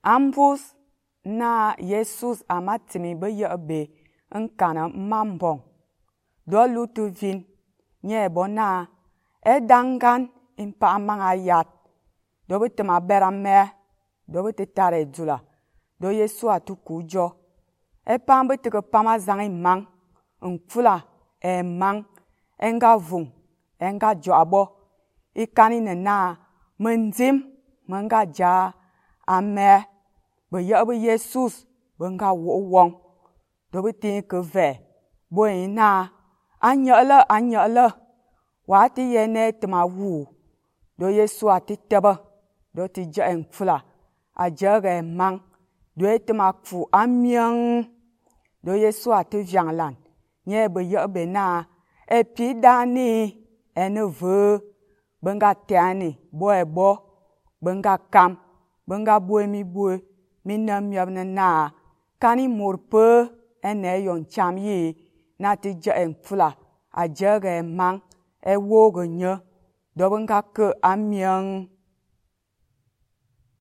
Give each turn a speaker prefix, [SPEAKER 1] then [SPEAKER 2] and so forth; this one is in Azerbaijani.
[SPEAKER 1] Ambus na Jesus amatimi be yebe nkana mambong. Do lutu vin nye bona edangan impa amang ayat. Do bitima berame. Do bititare jula. Do Yesu atukujo. Epam bitike pama zangi mang. Nkfula mang. Enga vung. Enga joabo. Ikani na menjim. Menga ja ame. Be yebe Jesus. Benga wong. Do biti keve. Boy na. Anyele. Wati yene tima wu. Do Yesu atitebe. Do ti je nkfula. Ajere mang. Do etima kfu amyang. Do Yesu ati vyanglan. Nye be yebe na. Epi dani. Ene ve. Benga tiani. Boy bo. Benga kam. Benga boy mi boy. Minem yebne na. Kani murpe. Ene yon cham yi. Na ti je nkfula. Ajere mang. Ewoge nye. Do benga ke amyang.